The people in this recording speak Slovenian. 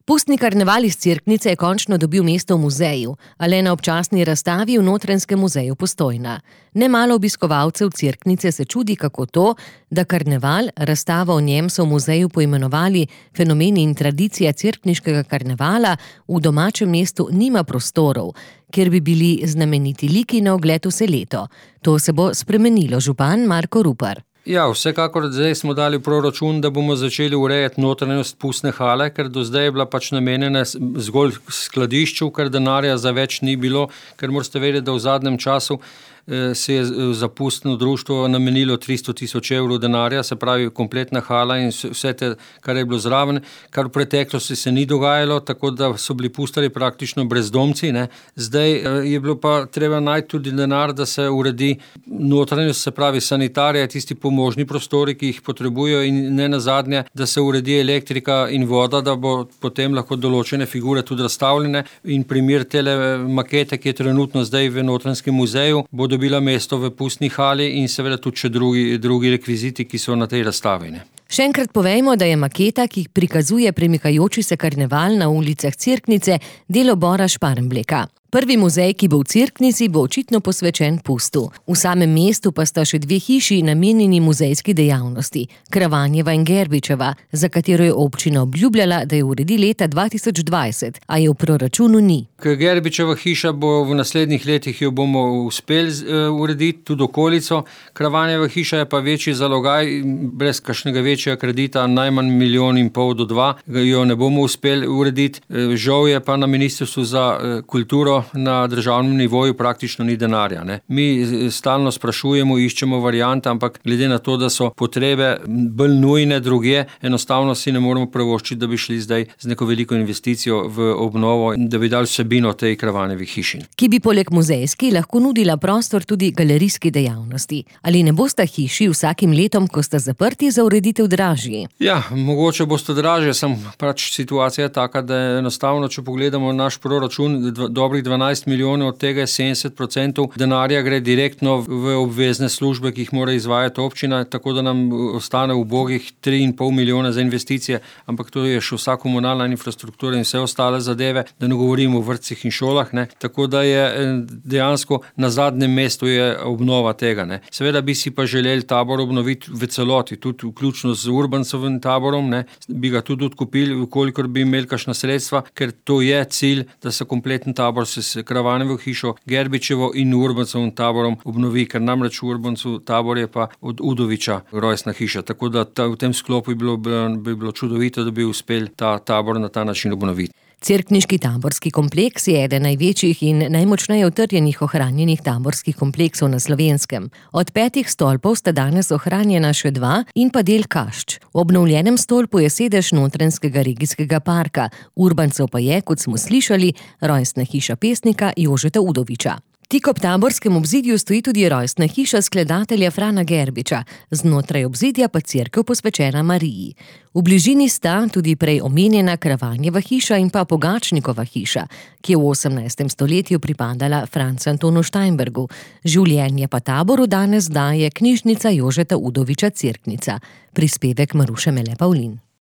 Pustni karneval iz Cerknice je končno dobil mesto v muzeju, a le na občasni razstavi v Notranjskem muzeju Postojna. Nemalo obiskovalcev Cerknice se čudi, kako to, da karneval, razstava o njem so v muzeju poimenovali Fenomeni in tradicija cerkniškega karnevala, v domačem mestu nima prostorov, kjer bi bili znameniti liki na ogled vse leto. To se bo spremenilo, župan Marko Rupar. Ja, vsekakor zdaj smo dali proračun, da bomo začeli urejati notranjost pustne hale, ker do zdaj je bila pač namenjena zgolj skladišču, ker denarja za več ni bilo, ker morate vedeti, da v zadnjem času se je za pustno društvo namenilo 300 000 evrov denarja, se pravi kompletna hala in vse te, kar je bilo zraven, kar v preteklosti se ni dogajalo, tako da so bili pustari praktično brezdomci, ne. Zdaj je bilo pa treba najti tudi denar, da se uredi notranjost, se pravi sanitarija, tisti pomožni prostori, ki jih potrebujejo in ne nazadnje, da se uredi elektrika in voda, da bo potem lahko določene figure tudi razstavljene in primer tele makete, ki je trenutno zdaj v Notranjskem muzeju, bo dobila mesto v pustni hali in seveda tudi še drugi rekviziti, ki so na tej razstavi. Še enkrat povejmo, da je maketa, ki prikazuje premikajoči se karneval na ulicah Cerknice, delo Bora Šparmbleka. Prvi muzej, ki bo v Cerknici, bo očitno posvečen pustu. V samem mestu pa sta še dve hiši namenjeni muzejski dejavnosti, Kravanjeva in Gerbičeva, za katero je občina obljubljala, da jo uredi leta 2020, a je v proračunu ni. Gerbičeva hiša bo v naslednjih letih, jo bomo uspeli urediti, tudi okolico. Kravanjeva hiša je pa večji zalogaj, brez kakšnega večjega kredita, najmanj 1,5 do 2 milijonov, jo ne bomo uspeli urediti. Žal je pa na Ministrstvu za kulturo na državnem nivoju praktično ni denarja, ne. Mi stalno sprašujemo, iščemo variante, ampak glede na to, da so potrebe bolj nujne drugje, enostavno si ne moremo privoščiti, da bi šli zdaj z neko veliko investicijo v obnovo in da bi dali vsebino tej Kravanjevi hiši. Ki bi poleg muzejski lahko nudila prostor tudi galerijski dejavnosti. Ali ne bosta hiši vsakim letom, ko sta zaprti, za ureditev dražji? Ja, mogoče bosta dražje, sem pač situacija taka, da je enostavno, če pogledamo naš proračun, dobrih 12 milijonov, od tega je 70% denarja gre direktno v obvezne službe, ki jih mora izvajati občina, tako da nam ostane ubogih 3,5 milijona za investicije, ampak to je še vsa komunalna infrastruktura in vse ostale zadeve, da ne govorimo o vrtcih in šolah, ne. Tako da je dejansko na zadnjem mestu je obnova tega, ne. Seveda bi si pa želeli tabor obnoviti v celoti, tudi vključno z Urbancovim taborom, ne. Bi ga tudi odkupili, kolikor bi imeli kakšna sredstva, ker to je cilj, da se kompleten tabor s Kravanjevo hišo, Gerbičevo in Urbancovim taborom obnovi, ker namreč Urbancov tabor je pa od Udoviča rojstna hiša, tako da v tem sklopu bi bilo čudovito, da bi uspeli ta tabor na ta način obnoviti. Cerkniški taborski kompleks je eden največjih in najmočneje utrjenih ohranjenih taborskih kompleksov na Slovenskem. Od 5 stolpov sta danes ohranjena še 2 in pa del kašč. V obnovljenem stolpu je sedež Notranjskega regijskega parka, Urbancov pa je, kot smo slišali, rojstna hiša pesnika Jožeta Udoviča. Tik ob taborskem obzidju stoji tudi rojstna hiša skladatelja Frana Gerbiča, znotraj obzidja pa cerkev posvečena Mariji. V bližini sta tudi prej omenjena Kravanjeva hiša in pa Pogačnikova hiša, ki je v 18. stoletju pripadala Francu Antonu Steinbergu. Življenje pa taboru danes daje knjižnica Jožeta Udoviča Cerknica. Prispevek Maruše Mele Pavlin.